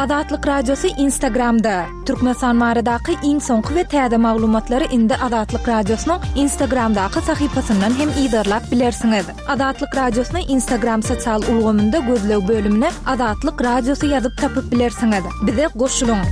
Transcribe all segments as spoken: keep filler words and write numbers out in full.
Azatlyk Radiosy Instagramda. Türkmenistan baradaky iň soňky we täze maglumatlary indi Azatlyk Radiosynyň Instagramdaky sahypasyndan hem yzarlap bilersiňiz. Azatlyk Radiosyny Instagram sosial ulgamynda gözleg bölümine Azatlyk Radiosy ýazyp tapyp bilersiňiz. Bize goşulyň.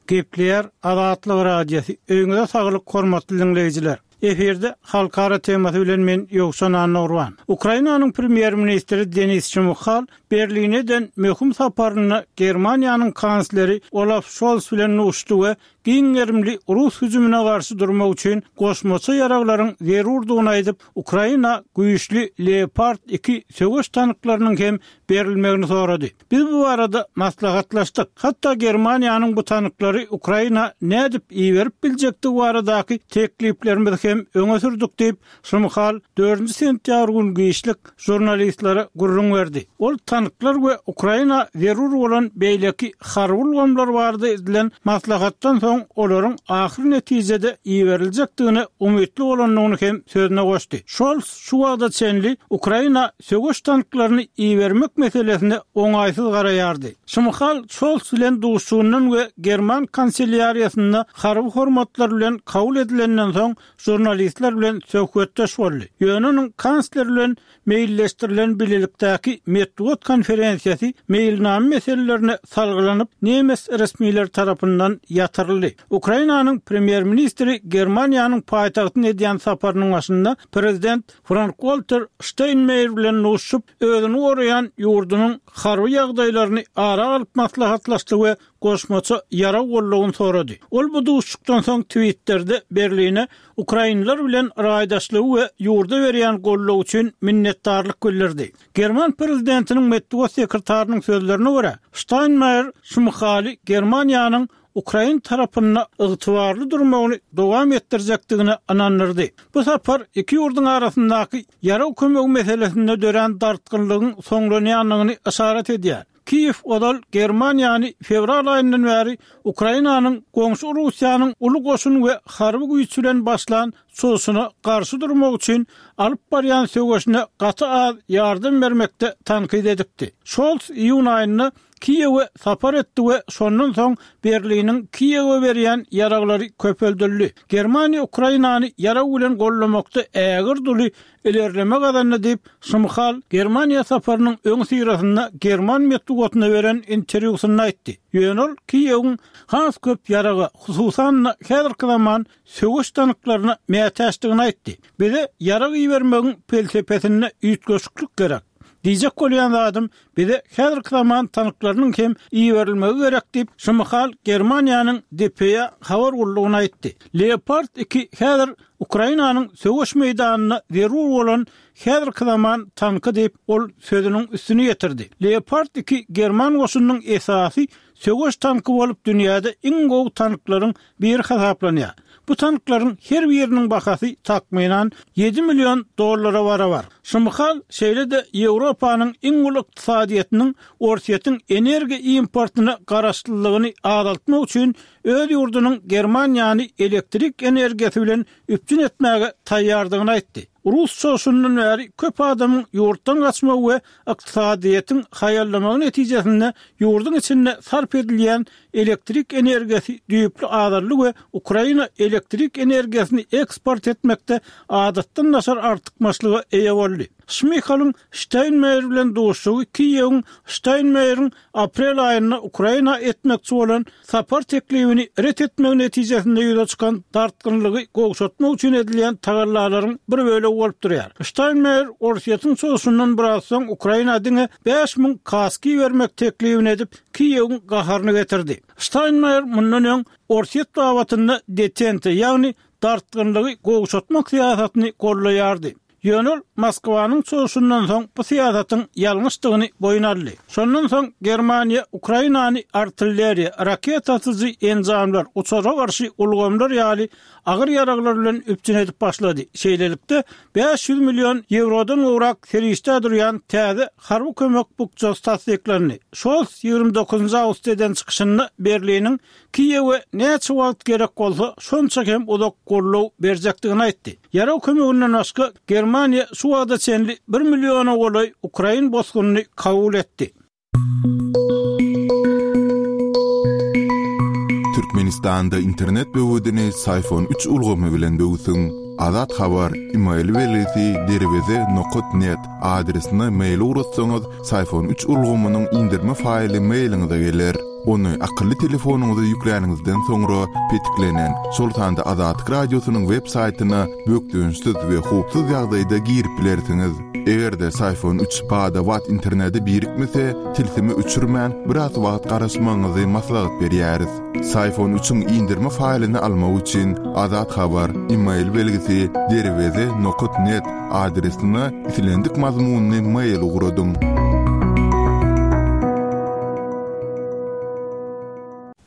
Gepleýär Azatlyk Radiosy. Öýüňize saglyk hormatly diňleýjiler. Efirde halkara temasy bilen men Ýowşan Annagurban. Ukrainanyň premýer-ministri Denis Şmyhal Berline eden möhüm saparynda Germaniýanyň kansleri Olaf Şolz bilen duşdy we giň gerimli rus hüjümine garşy durmak üçin goşmaça ýaraglaryň zerurdygyny aýdyp, Ukraina güýçli Leopard iki söweş tanklarynyň hem berilmegini sorady. Biz bu barada maslahatlaşdyk. Hatda Germaniýanyň bu tanklary Ukraina nädip iberip biljekdigi baradaky tekliplerimizi hem öňe sürdük diýip, Şmyhal dördünji sentýabr güni giçlik žurnalistlere gürrüň berdi. Ol tanklar we Ukraina zerur bolan beýleki harby ulgamlar barada edilen maslahatdan soň olaryň ahyr netijede iberiljekdigine umytly bolandygyny hem sözüne goşdy. Şolz şu wagta çenli Ukraina söweş tanklaryny ibermek meselesine oňaýsyz garaýardy. Şmyhal Şolz bilen duşuşygyndan we German kanselýariýasynda harby hormatlar bilen kabul edilenden soň žurnalistler bilen söhbetdeş boldy. Ýöne onuň kansler bilen meýilleşdirilen bilelikdäki metbugat konferensiýasy meýilnama meselelerine salgylanyp, nemes resmileri tarapyndan ýatyryldy. Ukrainanyň premýer-ministri Germaniýanyň paýtagtyna edýän saparynyň başynda prezident Frank-Walter Şteýnmeýer bilen duşuşyp, özüni goraýan ýurdunyň harby ýagdaýlaryny ara alyp maslahatlaşdy we goşmaça ýarag goldawyny sorady. Ol bu duşuşykdan soň Twitterde Berline ukrainler bilen raýdaşlygy we ýurda berýän goldawy üçin minnetdarlyk bildirdi. German prezidentiniň metbugat sekretarynyň sözlerine görä, Ştaýnmeýer Şmyhaly Germaniýanyň ukrain tarapynda ygtybarly durmagyny dowam etdirjekdigine ynandyrdy. Bu sapar iki ýurduň arasyndaky ýarag kömegi meselesinde dörän dartgynlygyň soňlanýandygyny yşarat edýär. Kiýew ozal Germaniýany fewral aýyndan bäri Ukrainanyň goňşy Russiýanyň uly goşun we harby güýç bilen başlan çozuşyna garşy durmak üçin alyp barýan söweşine gaty az ýardam bermekde tankyt edipdi. Şolz iýun aýynda Kiýewe sapar etdi we şondan soň Berliniň Kiýewe berýän ýaraglary köpeldildi. Germaniýa Ukrainany ýarag bilen gollamakda ägirt uly ilerleme gazandy diýip, Şmyhal Germaniýa saparynyň öňüsyrasynda german metbugatyna beren interwýusynda aýtdy. Ýöne ol Kiýewiň has köp ýaraga, hususan-da häzirki zaman söweş tanklaryna mätäçdigini aýtdy. Bize ýarag ibermegiň pelsepesinde üýtgeşiklik gerek. Diýjek bolýan zadym, bize häzirki zaman tanklarynyň hem iberilmegi gerek diýip, Şmyhal Germaniýanyň D P A habar gullugyna aýtdy. Leopard iki häzir Ukrainanyň söweş meýdanynda zerur bolan häzirki zaman tanky diýip, ol sözüniň üstüni ýetirdi. Leopard iki german goşunynyň esasy söweş tanky bolup dünýäde iň gowy tanklaryň biri hasaplanýar. Bu tanklaryň her biriniň bahasy takmynan ýedi million dollara barabar. Şmyhal şeýle-de Ýewropanyň iň uly ykdysadyýetiniň Orsýetiň energiýa importyna garaşlylygyny azaltmak üçin öz ýurdunyň Germaniýany elektrik energiýasy bilen üpjün etmäge taýýardygyny aýtdy. Rus çoşundan bäri köp adamyň ýurtdan gaçmagy we ykdysadyýetiň haýallamagy netijesinde ýurduň içinde sarp edilýän elektrik energiýasy düýpli azaldy we Ukraina elektrik energiýasyny eksport etmekde adatdan daşary artykmaçlyga eýe boldy. Şmyhalyň Şteýnmeýer bilen duşuşygy Kiýewiň Şteýnmeýeriň aprel aýynda Ukraina etmekçi bolan sapar teklibini ret etmegi netijesinde ýüze çykan dartgynlygy gowşatmak üçin edilýän tagallalaryň bir bölegi bolup durýar. Şteýnmeýer Orsýetiň çoşundan biraz soň Ukraina diňe bäş müň kaski bermek teklibini edip, Kiýewiň gaharyny getirdi. Şteýnmeýer mundan öň Orsýet babatynda detente, ýagny dartgynlygy gowşatmak syýasatyny gollaýardy. Ýöne ol Moskwanyň çoşundan soň bu syýasatyň ýalňyşdygyny boýun aldy. Şondan soň Germaniýa Ukrainany artilleriýa, raketa atyjy enjamlar, uçara garşy ulgamlar ýaly agyr ýaraglar bilen üpjün edip başlady. Şeýlelikde bäş ýüz million ýewrodan gowrak serişde durýan täze harby kömek bukjasy tassyklandy. Şolz ýigrimi dokuzynjy awgustda eden çykyşynda Berliniň Kiýewe näçe wagt gerek bolsa, şonça hem uzak goldaw berjekdigini aýtdy. Ýarag kömeginden başga Germaniýa şu wagta çenli bir milliona golaý Ukrain bosgunyny kabul etdi. Türkmenistanda internet böwedini Syfon üç ulgamy bilen böwsüň. Azat Habar, e-mail belgisi derweze nokat net adresine mail ugratsaňyz, Syfon üç ulgamynyň indirme faýly mailiňize geler. Ony akylly telefonyňyza ýükläniňizden soňra petiklenen, şol sanda Azatlyk radiosynyň web saýtyna bökdençsiz we howpsuz ýagdaýda girip bilersiňiz. Eger-de Syfon üç bada-bat internete birikmese, tilsimi öçürmän biraz wagt garaşmagyňyzy maslahat berýäris. Syfon üçiň indirme faýlyny almak üçin Azat Habar, e-mail belgisi derweze nokat net adresine islendik mazmunyny mail ugradyň.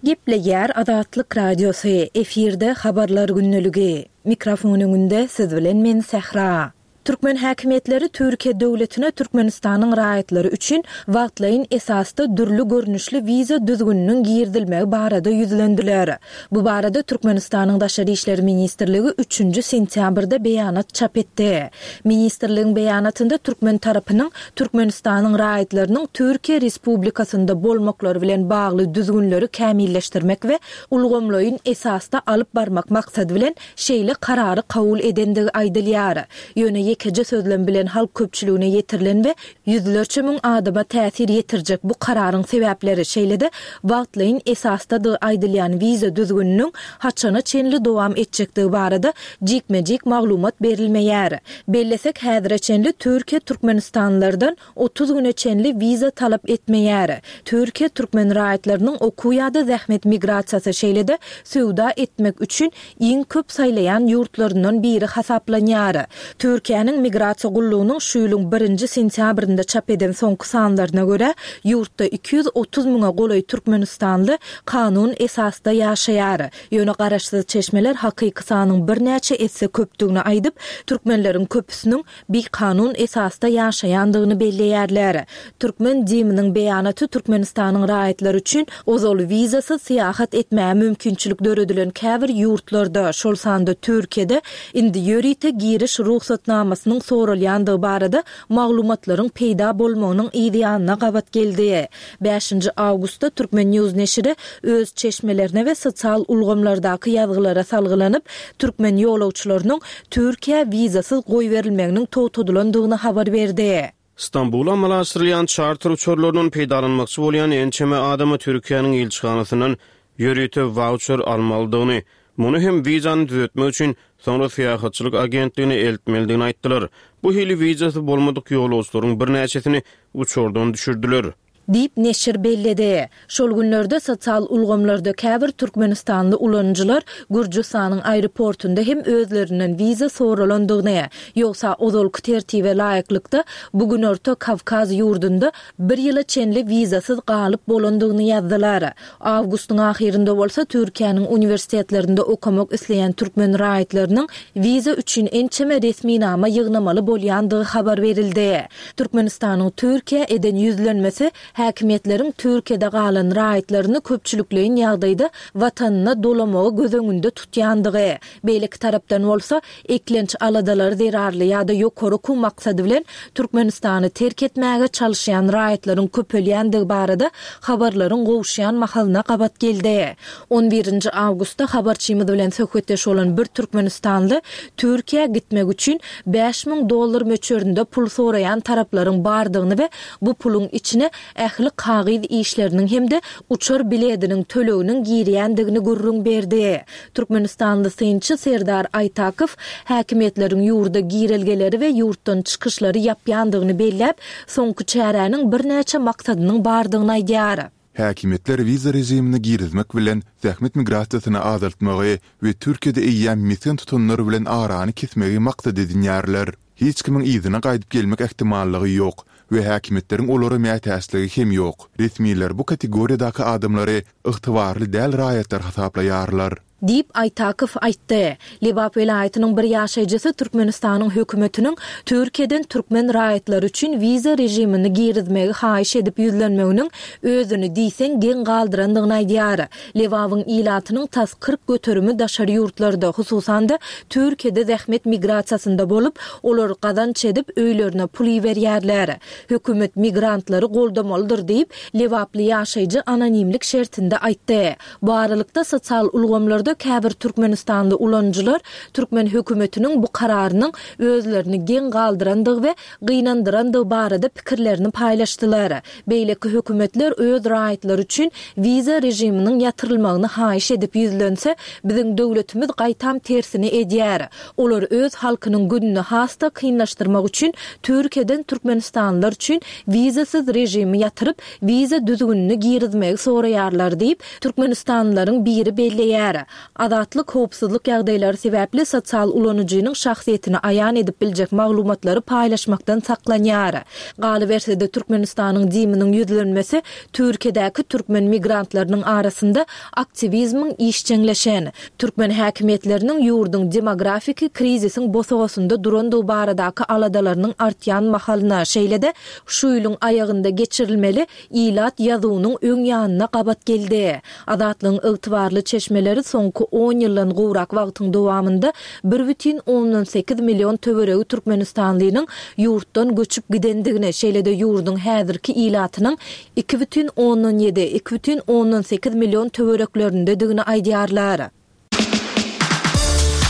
Gepleýär Azatlyk Radiosy, efirde habarlar günlügi. Mikrofon öňünde siz bilen men Sähra. Türkmen häkimiýetleri Türkiýe döwletine Türkmenistanyň raýatlary üçin wagtlaýyn esasda dürli görnüşli wiza düzgüniniň girizilmegi barada ýüzlendiler. Bu barada Türkmenistanyň Daşary işler ministrligi üçünji sentýabrda beýanat çap etdi. Ministrligiň beýanatynda Türkmen tarapynyň Türkmenistanyň raýatlarynyň Türkiýe Respublikasynda bolmaklary bilen bagly düzgünleri kämilleşdirmek we ulgamlaýyn esasda alyp barmak maksady bilen şeýle karary kabul edendigi aýdylýar. Ýöne ýekeje sözlem bilen halk köpçüligine ýetirilen we ýüzlerçe müň adama täsir ýetirjek bu kararyň sebäpleri şeýle-de wagtlaýyn esasdadygy aýdylýan wiza düzgüniniň haçana çenli dowam etjekdigi barada jikme-jik maglumat berilmeýär. Bellesek häzire çenli Türkiýe Türkmenistanlylardan otuz güne çenli wiza talap etmeýär. Türkiýe türkmen raýatlarynyň okuw ýa-da zähmet migrasiýasy şeýle-de söwda etmek üçin iň köp saýlaýan ýurtlaryndan biri hasaplanýar. Türkiýäniň migrasiýa gullugynyň şu ýylyň birinji sentýabrynda çap eden soňky sanlaryna görä, ýurtda iki ýüz otuz müňe golaý türkmenistanly kanun esasda ýaşaýar. Ýöne garaşsyz çeşmeler hakyky sanyň birnäçe esse köpdügini aýdyp, türkmenleriň köpüsiniň bikanun esasda ýaşaýandygyny belleýärler. Türkmen DIM-niň beýanaty Türkmenistanyň raýatlary üçin ozal wizasyz syýahat etmäge mümkinçilik döredilen käbir ýurtlarda, şol sanda Türkiýede indi ýörite giriş rugsatnamasynyň soralýandygy barada maglumatlaryň peýda bolmagynyň ýanyna gabat geldi. Bäşinji awgustda Türkmen News neşiri öz çeşmelerine we sosial ulgamlardaky ýazgylara salgylanyp, türkmen ýolagçylarynyň Türkiýä wizasyz goýberilmeginiň togtadylandygyny habar berdi. Stambula amala aşyrylýan çarter uçarlaryndan peýdalanmakçy bolýan ençeme adama Türkiýäniň ilçihanasyndan ýörite voucher almalydygyny, muny hem wizany düzetmek üçin soňra syýahatçylyk agentligine eltmelidigini aýtdylar. Bu hili wizasy bolmadyk ýolagçylaryň birnäçesini uçardan düşürdiler. Diýip neşir belledi. Şol günlerde sosial ulgamlarda käbir türkmenistanly ulanyjylar Gürjüstanyň aeroportunda hem özlerinden wiza soralandygyny, ýogsa ozalky tertibe laýyklykda bu günorta Kawkaz ýurdunda bir ýyla çenli wizasyz galyp bolandygyny ýazdylar. Awgustyň ahyrynda bolsa Türkiýäniň uniwersitetlerinde okamak isleýän türkmen raýatlarynyň wiza üçin ençeme resminama ýygnamaly bolýandygy habar berildi. Türkmenistanyň Türkiýä eden ýüzlenmesi häkimiýetleriň Türkiýede galan raýatlaryny köpçülikleýin ýagdaýda watanyna dolamagy göz öňünde tutýandygy, beýleki tarapdan bolsa eklenç aladalary zerarly ýa-da ýokary okuw maksady bilen Türkmenistany terk etmäge çalyşýan raýatlaryň köpelýändigi barada habarlaryň gowuşýan mahalyna gabat geldi. On birinji awgustda habarçymyz bilen söhbetdeş bolan bir türkmenistanly Türkiýä gitmek üçin bäş müň dollar möçberinde pul soraýan taraplaryň bardygyny we bu puluň içine ähli kagyz işleriniň hem-de uçar biletiniň töleginiň girýändigini gürrüň berdi. Türkmenistanly synçy Serdar Aýtakow häkimiýetleriň ýurda girelgeleri we ýurtdan çykyşlary ýapýandygyny belläp, soňky çäräniň birnäçe maksadynyň bardygyny aýdýar. Häkimiýetler wiza režimini girizmek bilen zähmet migrasiýasyny azaltmagy we Türkiýede eýýäm mesgen tutanlar bilen arany kesmegi maksat edinýärler. Hiç kimiň yzyna gaýdyp gelmek ähtimallygy ýok we häkimiýetleriň olara mätäçligi hem ýok. Resmiler bu kategoriýadaky adamlary ygtybarly däl raýatlar hasaplaýarlar. Diýip, Aýtakow aýtdy. Lebap welaýatynyň bir ýaşaýjysy Türkmenistanyň hökümetiniň Türkiýeden türkmen raýatlary üçin wiza režimini girizmegi haýyş edip ýüzlenmeginiň özüni diýseň geň galdyrandygyny aýdýar. Lebabyň ilatynyň tas kyrk göterimi daşary ýurtlarda, hususan-da, Türkiýede zähmet migrasiýasynda bolup, olar gazanç edip, öýlerine pul iberýärler. Hökümet migrantlary goldamalydyr diýip, lebaply ýaşaýjy anonimlik şertinde aýtdy. Bu aralykda, sosial ulgamlarda käbir türkmenistanly ulanyjylar türkmen hökümetiniň bu kararynyň özlerini geň galdyrandygy we gynandyrandygy barada pikirlerini paýlaşdylar. Beýleki hökümetler öz raýatlary üçin wiza režiminiň ýatyrylmagyny haýyş edip ýüzlense, biziň döwletimiz gaýtam tersini edýär. Olar öz halkynyň gününi has-da kynlaşdyrmak üçin Türkiýeden türkmenistanlylar üçin wizasyz režimi ýatyryp, wiza düzgünini girizmegi soraýarlar diýip, türkmenistanlylaryň biri belleýär. Azatlyk howpsuzlyk ýagdaýlary sebäpli sosial ulanyjynyň şahsyýetini aýan edip biljek maglumatlary paýlaşmakdan saklanýar. Galyberse-de, Türkmenistanyň DIM-niň ýüzlenmesi Türkiýedäki türkmen migrantlarynyň arasynda aktiwizmiň işjeňleşen, türkmen häkimiýetleriniň ýurduň demografiki krizisiň bosagasynda durandygy baradaky aladalarynyň artýan mahalyna, şeýle-de şu ýylyň aýagynda geçirilmeli ilat ýazuwynyň öň ýanyna gabat geldi. Azatlygyň ygtybarly çeşmeleri soňky on ýyldan gowrak wagtyň dowamynda bir bütin ondan sekiz million töweregi türkmenistanlynyň ýurtdan göçüp gidendigini, şeýle-de ýurduň häzirki ilatynyň iki bütin ondan ýedi, iki bütin ondan sekiz million töwereklerindedigini aýdýarlar.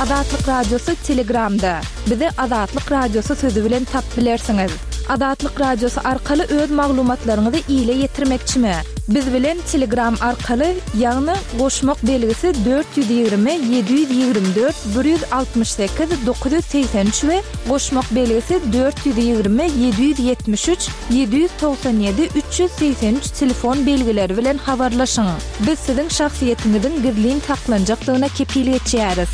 Azatlyk Radiosy Telegramda. Bizi Azatlyk Radiosy sözi bilen tapyp bilersiňiz. Azatlyk Radiosy arkaly öz maglumatlaryňyzy ile ýetirmekçimi? Biz bilen Telegram arkaly, ýagny goşmak belgisi dört ýüz ýigrimi ýedi ýüz ýigrimi dört bir ýüz altmyş sekiz dokuz ýüz segsen üç we goşmak belgisi dört ýüz ýigrimi ýedi ýüz ýetmiş üç ýedi ýüz togsan ýedi üç ýüz segsen üç telefon belgileri bilen habarlaşyň. Biz siziň şahsyýetiňiziň gizlin saklanjakdygyna kepil geçýäris.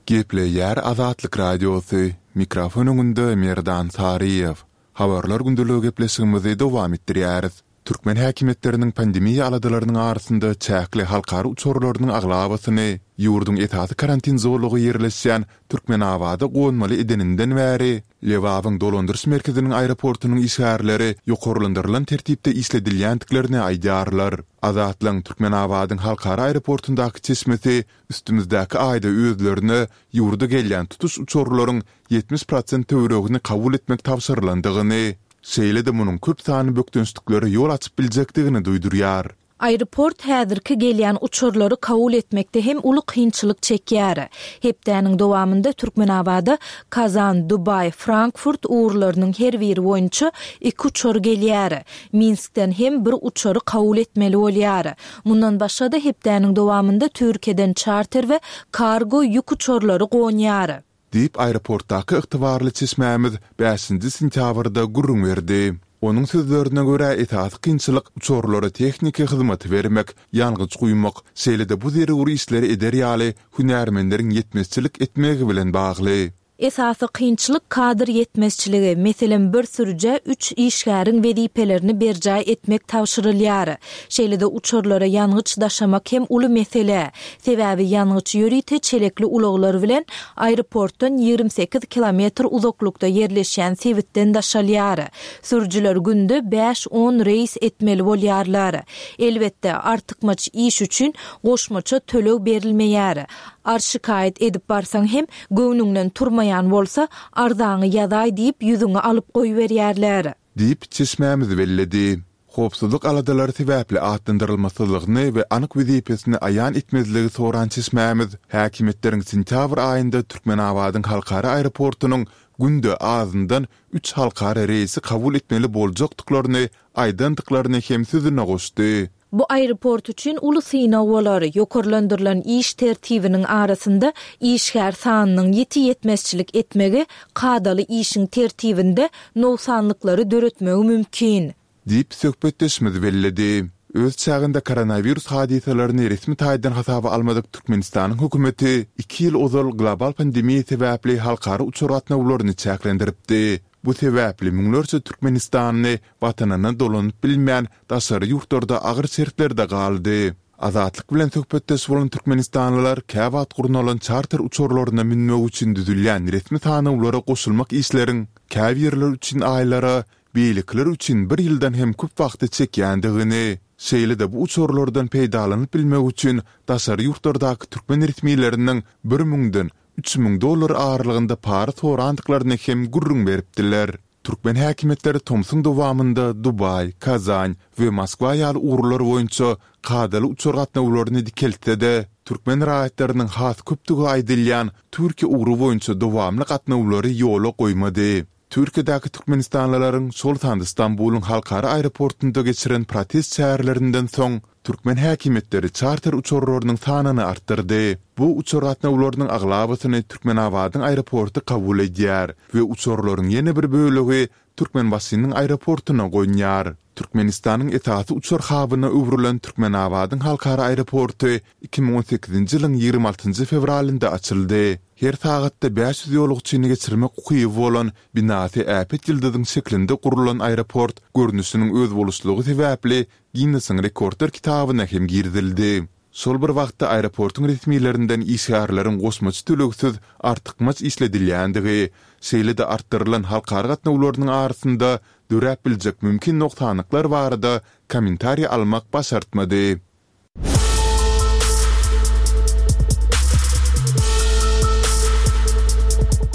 Gepleýär Azatlyk Radiosy, mikrofon öňünde Merdan Saryýew. Habarlar gündeligi gepleşigimizi dowam etdirýäris. Türkmen häkimiýetleriniň pandemiýa aladalarynyň arasynda çäkli halkara uçarlarynyň aglabasyny ýurduň esasy karantin zolagy ýerleşýän Türkmenabada gonmaly edeninden bäri, Lebabyň dolandyryş merkeziniň aeroportunyň işgärleri ýokarlandyrylan tertipde işledilýändiklerini aýdýarlar. Azatlygyň Türkmenabadyň halkara aeroportundaky çeşmesi üstümizdäki aýda özlerine ýurda gelýän tutuş uçarlaryň ýetmiş prosent töweregini kabul etmek tabşyrylandygyny, şeýle-de munuň köp sanly bökdençliklere ýol açyp biljekdigini duýdurýar. Aeroport häzirki gelýän uçarlary kabul etmekde hem uly kynçylyk çekýär. Hepdäniň dowamynda Türkmenabada Kazan, Dubaý, Frankfurt ugurlarynyň her biri boýunça iki uçar gelýär. Minskden hem bir uçary kabul etmeli bolýar. Mundan başga-da hepdäniň dowamynda Türkiýeden çarter we kargo ýük uçarlary gonýar. Diýip, aeroportdaky ygtybarly çeşmämiz bäşinji sentýabrda gürrüň berdi. Onuň sözlerine görä, esasy kynçylyk uçarlara tehniki hyzmaty bermek, ýangyç guýmak, şeýle-de bu zerur işleri eder ýaly hünärmenleriň ýetmezçilik etmegi bilen bagly. Esasy kynçylyk kadr ýetmezçiligi, meselem, bir sürüjä üç işgäriň wezipelerini berjaý etmek tabşyrylýar. Şeýle-de uçarlara ýangyç daşamak hem uly mesele. Sebäbi ýangyç ýörite çelekli ulaglar bilen aeroportdan ýigrimi sekiz kilometr uzaklykda ýerleşýän sebitden daşalýar. Sürüjiler günde bäş-on reýs etmeli bolýarlar. Elbetde, artykmaç iş üçin goşmaça töleg berilmeýär. Arz-şikaýat edip barsaň hem, göwnüňden turmaýan bolsa, arzaňy ýazaý diýip ýüzüňi alyp goýberýärler. Diýip, çeşmämiz belledi. Howpsuzlyk aladalary sebäpli atlandyrylmasyzlygyny we anyk wezipesini aýan etmezligi soran çeşmämiz häkimiýetleriň sentýabr aýynda Türkmenabadyň halkara aeroportunyň günde azyndan üç halkara reýsi kabul etmeli boljakdyklaryny aýdandyklaryny hem sözüne goşdy. Bu aeroport üçin uly synag bolar. Ýokarlandyrylan iş tertibiniň arasynda işgär sanynyň ýiti ýetmezçilik etmegi kadaly işiň tertibinde nogsanlyklary döretmegi mümkin. Diýip, söhbetdeşimiz belledi. Öz çäginde koronawirus hadysalaryny resmi taýdan hasaba almadyk Türkmenistanyň hökümeti iki ýyl ozal global pandemiýa sebäpli halkara uçar gatnawlaryny çäklendiripdi. Bu sebäpli müňlerçe türkmenistanly watanyna dolanyp bilmän, daşary ýurtlarda agyr şertlerde galdy. Azatlyk bilen söhbetdeş bolan türkmenistanlylar käwagt gurnalan çarter uçarlaryna münmek üçin düzülýän resmi sanawlara goşulmak işleriň käbirleri üçin aýlara, beýlekiler üçin bir ýyldan hem köp wagty çekýändigini, şeýle-de bu uçarlardan peýdalanyp bilmek üçin daşary ýurtlardaky türkmen resmileriniň bir müňden üç müň dollar aralygynda para sorandyklaryny hem gürrüň beripdiler. Türkmen häkimiýetleri tomsuň dowamynda Dubaý, Kazan we Moskwa ýaly ugurlar boýunça kadaly uçar gatnawlaryny dikeltse-de, türkmen raýatlarynyň has köpdügi aýdylýan Türkiýe ugry boýunça dowamly gatnawlary ýola goýmady. Türkiýedäki türkmenistanlylaryň, şol sanda Stambulyň halkara aeroportunda geçiren protest çärelerinden soň, türkmen häkimiýetleri çarter uçarlarynyň sanyny artdyrdy. Bu uçar gatnawlarynyň aglabasyny Türkmenabadyň aeroporty kabul edýär we uçarlaryň ýene bir bölegi Türkmenbaşynyň aeroportuna gonýar. Türkmenistanyň esasy uçar habyna öwrülen Türkmenabadyň halkara aeroporty iki müň on sekizinji ýylyň ýigrimi altynjy fewralynda açyldy. Her sagatda bäş ýüz ýolagçyny geçirmek ukyby bolan binasy äpet ýyldyzyň şeklinde gurlan aeroport görnüşiniň özboluşlygy sebäpli Ginnesiň rekordlar kitabyna hem girizildi. Şol bir wagtda aeroportuň resmilerinden işgärleriň goşmaça tölegsiz artykmaç işledilýändigi, şeýle-de artdyrylan halkara gatnawlarynyň arasynda döräp biljek mümkin nogsanlyklar barada kommentariý almak başartmady.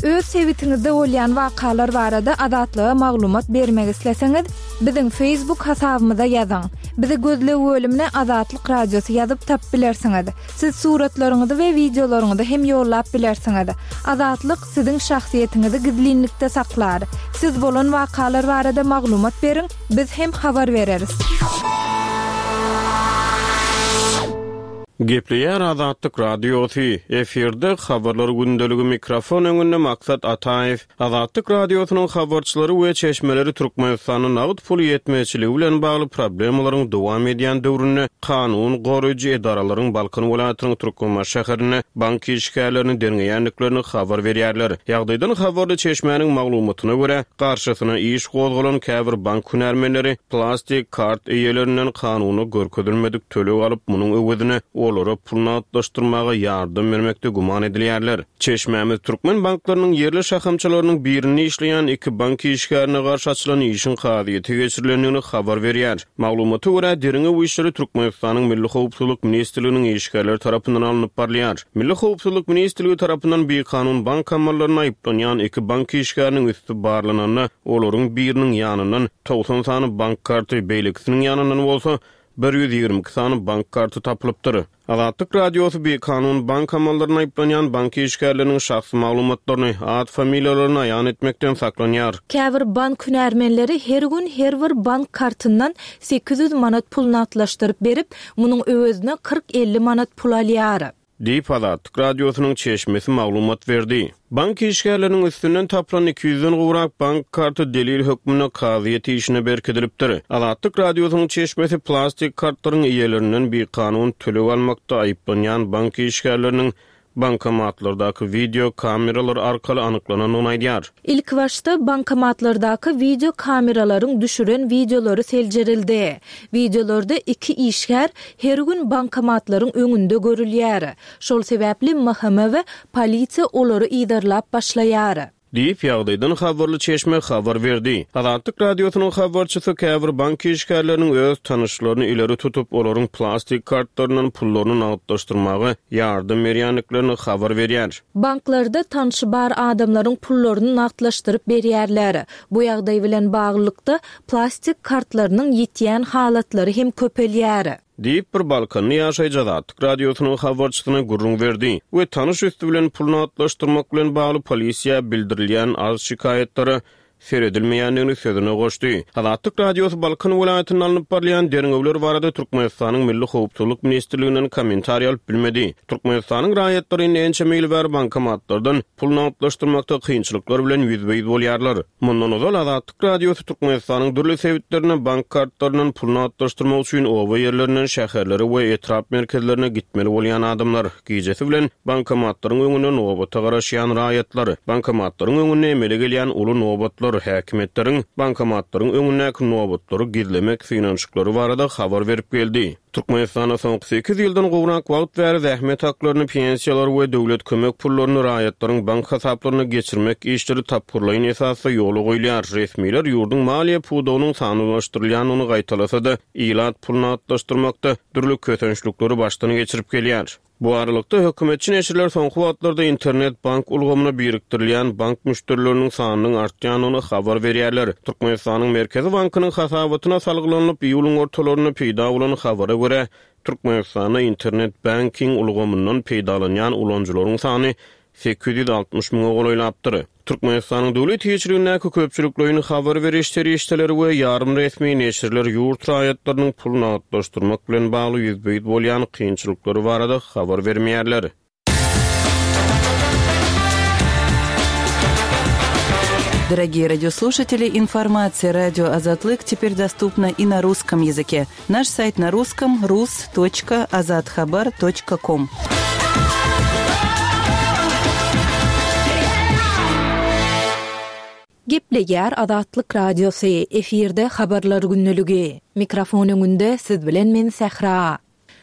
Öz sebitiňizde bolýan wakalar barada Azatlyga maglumat bermek isleseňiz, biziň Facebook hasabymyza ýazyň. Bizi gözleg bölümine Azatlyk Radiosy ýazyp tapyp bilersiňiz. Siz suratlaryňyzy we wideolaryňyzy hem ýollap bilersiňiz. Azatlyk siziň şahsyýetiňizi gizlinlikde saklar. Siz bolan wakalar barada maglumat beriň, biz hem habar bereris. Gepleýär Azatlyk Radiosy, efirde habarlar gündeligi mikrofon öňünde Maksat Ataýew. Azatlyk Radiosynyň habarçylary we çeşmeleri Türkmenistanda nagt pul ýetmezçiligi bilen bagly problemalaryň dowam edýän döwründe kanun goraýjy edaralaryň Balkan welaýatynyň Türkmenbaşy şäherinde bank işgärlerini derňeýändiklerini habar berýärler. Ýagdaýdan habarly çeşmäniň maglumatyna görä, garşysyna iş gozgalan käbir bank hünärmenleri plastik kart eýelerinden kanuna görkezilmedik töleg alyp, munuň öwezine olara pul nagtlaşdyrmaga ýardam bermekde güman edilýärler. Çeşmämiz türkmen banklarynyň ýerli şahamçalarynyň birinde işleýän iki bank işgärine garşy açylan işiň kazyýete geçirilendigini habar berýär. Maglumata görä, derňew işleri Türkmenistanyň Milli Howpsuzlyk Ministrliginiň işgärleri tarapyndan alnyp barylýar. Milli Howpsuzlyk Ministrligi tarapyndan bikanun bank amallaryna aýyplanýan iki bank işgäriniň üsti barlananda, olaryň biriniň ýanyndan togsan sany bank karty, beýlekisiniň ýanyndan bolsa bir ýüz ýigrimi iki sany bank karty tapylypdyr. Azatlyk Radiosy bikanun bank amallaryna aýyplanýan bank işgärleriniň şahsy maglumatlaryny, at familiýalaryny aýan etmekden saklanýar. Käbir bank hünärmenleri her gün her bir bank kartyndan sekiz ýüz manat pul nagtlaşdyryp berip, munuň öwezine kyrk elli manat pul alýar. Diýip Azatlyk Radiosynyň çeşmesi maglumat berdi. Bank işgärleriniň üstünden tapylan iki ýüzden gowrak bank karty delil hökmünde kazyýet işine berkidilipdir. Azatlyk Radiosynyň çeşmesi plastik kartlaryň eýelerinden bikanun töleg almakda aýyplanýan bank işgärleriniň bankomatlardaky video kameralar arkaly anyklanandygyny aýdýar. Ilk başda bankomatlardaky video kameralaryň düşüren videolary seljerildi. Videolarda iki işgär her gün bankomatlaryň öňünde görülýär. Şol sebäpli M H M we polisiýa olary yzarlap başlaýar. Diýip ýagdaýdan habarly çeşme habar berdi. Azatlyk Radiosynyň habarçysy käbir bank işgärleriniň öz tanyşlaryny ileri tutup, olaryň plastik kartlaryndan pullaryny nagtlaşdyrmaga ýardam berýändiklerini habar berýär. Banklarda tanşy bar adamlaryň pullaryny nagtlaşdyryp berýärler. Bu ýagdaý bilen baglylykda plastik kartlarynyň ýetýän halatlary hem köpelýär. Diýip bir Balkanly ýaşaýjy Azatlyk Radiosynyň habarçysyna gürrüň berdi we tanyş üstü bilen pul nagtlaşdyrmak bilen bagly polisiýa bildirilýän arz şikaýatlara seredilmeýändigini sözüne goşdy. Azatlyk Radiosy Balkan welaýatynda alnyp barylýan derňewler barada Türkmenistanyň Milli Howpsuzlyk Ministrliginden kommentariý alyp bilmedi. Türkmenistanyň raýatlary indi ençeme ýyl bäri bankomatlardan pul nagtlaşdyrmakda kynçylyklar bilen ýüzbe-ýüz bolýarlar. Mundan ozal Azatlyk Radiosy Türkmenistanyň dürli sebitlerine bank kartlaryndan pul nagtlaşdyrmak üçin oba ýerlerinden şäherlere we etrap merkezlerine gitmeli bolýan adamlar, gijesi bilen bankomatlaryň öňünde nobata garaşýan raýatlar, bankomatlaryň öňünde emele gelýän uly nobatlar nobatlar, häkimiýetleriň bankomatlaryň öňündäki nobatlary gizlemek synanyşyklary barada habar berip geldi. Türkmenistanda soňky sekiz ýyldan gowrak wagt bäri zähmet haklaryny, pensiýalary we döwlet kömek pullaryny raýatlaryň bank hasaplaryna geçirmek işleri tapgyrlaýyn esasda ýola goýulýar. Resmiler ýurduň maliýe pudagynyň sanlylaşdyrylýandygyny gaýtalasa-da, ilat pul nagtlaşdyrmakda dürli kösençlikleri başdan geçirip gelýär. Bu aralykda hökümetçi neşirler soňky wagtlarda internet bank ulgamyna birikdirilýän bank müşderileriniň sanynyň artýandygyny habar berýärler. Türkmenistanyň Merkezi bankynyň hasabatyna salgylanyp, iýulyň ortalarynda peýda bolan habara görä, Türkmenistanda internet banking ulgamyndan peýdalanýan ulanyjylaryň sany sekiz ýüz altmyş müňe golaýlapdyr. Türkmenistanyň döwlet eýeçiligindäki köpçülikleýin habar beriş serişdeleri we ýarym resmi neşirler ýurt raýatlarynyň pul nagtlaşdyrmak bilen bagly ýüzbe-ýüz bolýan kynçylyklary barada habar bermeýärler. Дорогие радиослушатели, информация радио Азатлык теперь доступна и на русском языке. Наш сайт на русском рус точка азатхабар точка ком. Gepleýär Azatlyk Radiosy, efirde habarlar günlügi. Mikrofon öňünde siz bilen men Sähra.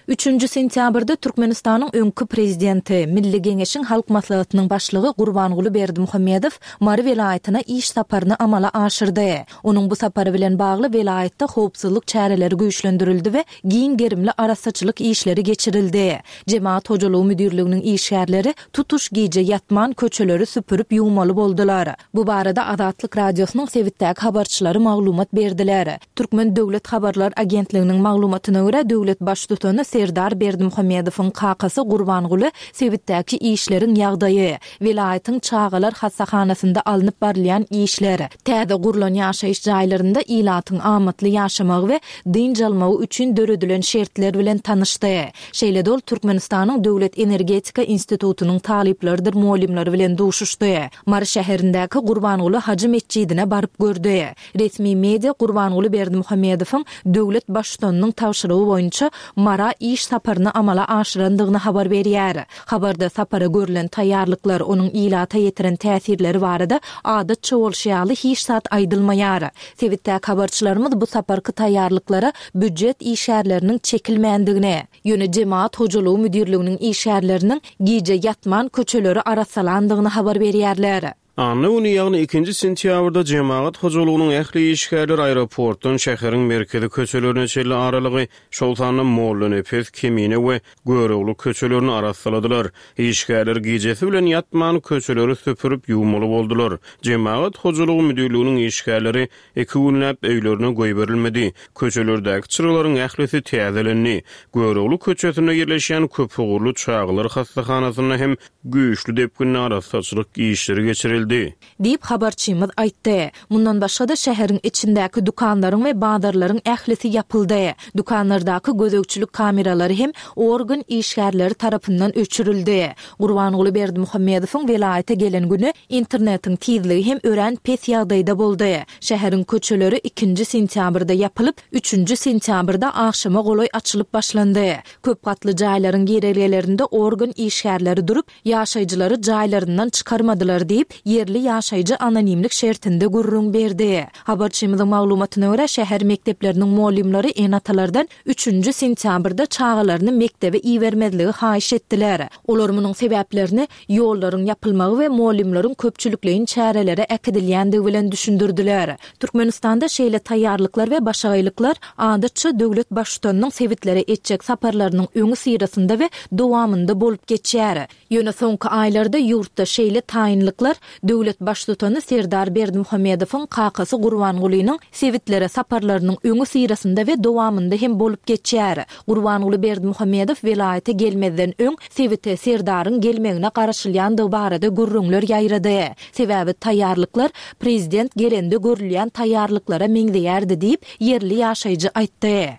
Üçünji sentýabrda Türkmenistanyň öňki prezidenti, Milli Geňeşiň Halk Maslahatynyň başlygy Gurbanguly Berdimuhamedow Mary welaýatyna iş saparyny amala aşyrdy. Onuň bu sapary bilen bagly welaýatda howpsuzlyk çäreleri güýçlendirildi we giň gerimli arassaçylyk işleri geçirildi. Jemaat hojalygy müdirliginiň işgärleri tutuş gije ýatman köçeleri süpürip ýuwmaly boldular. Bu barada Azatlyk Radiosynyň sebitdäki habarçylary maglumat berdiler. Türkmen Döwlet Habarlar Agentliginiň maglumatyna görä döwlet baştutany Serdar Berdimuhamedowyň kakasy Gurbanguly sebitdäki işleriň ýagdaýy, welaýatyň çagalar hassahanasynda alnyp barylýan işler, täze gurlan ýaşaýyş jaýlarynda ilatyň amatly ýaşamagy we dynç almagy üçin döredilen şertler bilen tanyşdy. Şeýle-de ol Türkmenistanyň Döwlet Energetika Institutynyň talyplarydyr muallimleri bilen duşuşdy. Mary şäherindäki Gurbanguly Hajy metjidine baryp gördi. Resmi media Gurbanguly Berdimuhamedowyň döwlet baştutanynyň tabşyrygy boýunça Mara iş saparyny amala aşyrandygyny habar berýär. Habarda sapara görülen taýýarlyklar, onuň ilata ýetiren täsirleri barada adatça bolşy ýaly hiç zat aýdylmaýar. Sebitdäki habarçylarymyz bu saparky taýýarlyklara býujet işgärleriniň çekilmändigini, ýöne jemaat hojalygy müdirliginiň işgärleriniň gije ýatman köçeleri arassalandygyny habar berýärler. Anna güni, ýagny ikinji sentýabrda jemaat hojalygynyň ähli işgärleri aeroportdan şäheriň merkezi köçelerine çenli aralygy, şol sanda Mollanepes, Kemine we Görogly köçelerini arassaladylar. Işgärler gijesi bilen ýatman köçeleri süpürip ýuwmaly boldular. Jemaat hojalygy müdirliginiň işgärleri iki günläp öýlerine goýberilmedi. Köçelerdäki çyralaryň ählisi täzelendi. Görogly köçesinde ýerleşýän köpugurly çagalar hassahanasynda hem güýçli depginli arassaçylyk işleri geçirildi. Diýip habarçymyz aýtdy. Mundan başga-da şäheriň içindäki dükanlaryň we bazarlaryň ählisi ýapyldy. Dükanlardaky gözegçilik kameralary hem organ işgärleri tarapyndan öçürildi. Gurbanguly Berdimuhamedowyň welaýata gelen güni internetiň tizligi hem örän pes ýagdaýda boldy. Şäheriň köçeleri ikinji sentýabrda ýapylyp, üçünji sentýabrda agşama golaý açylyp başlandy. Köp gatly jaýlaryň girelgelerinde organ işgärleri durup, ýaşaýjylary jaýlaryndan çykarmadylar diýip, ýerli ýaşaýjy anonimlik şertinde gürrüň berdi. Habarçymyzyň maglumatyna görä, şäher mekdepleriniň muallimleri ene-atalardan üçünji sentýabrda çagalaryny mekdebe ibermezligi haýyş etdiler. Olar munuň sebäplerini ýollaryň ýapylmagy we muallimleriň köpçülikleýin çärelere äkidilýändigi bilen düşündirdiler. Türkmenistanda şeýle taýýarlyklar we başagaýlyklar adatça döwlet baştutanynyň sebitlere etjek saparlarynyň öňi syrasynda we dowamynda bolup geçýär. Ýöne soňky aýlarda ýurtda şeýle taýynlyklar döwlet baştutany Serdar Berdimuhamedowyň kakasy Gurbangulynyň sebitlere saparlarynyň öňi syrasynda we dowamynda hem bolup geçýär. Gurbanguly Berdimuhamedow welaýata gelmezden öň sebite Serdaryň gelmegine garaşylýandygy barada gürrüňler ýaýrady. Sebäbi taýýarlyklar prezident gelende görülýän taýýarlyklara meňzeýärdi diýip, ýerli ýaşaýjy aýtdy.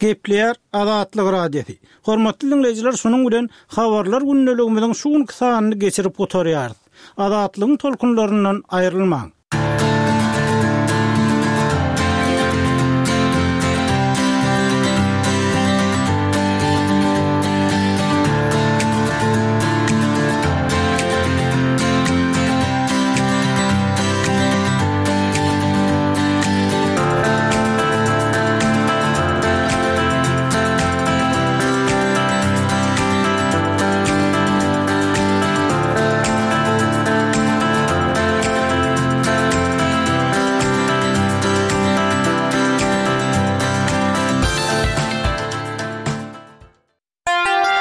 Gepleýär Azatlyk Radiosy. Hormatly dinleýjiler, şunuň bilen habarlar gündeligimiziň şu günki sanyny geçirip gutarýarys. Azatlygyň tolkunlaryndan aýrylmaň.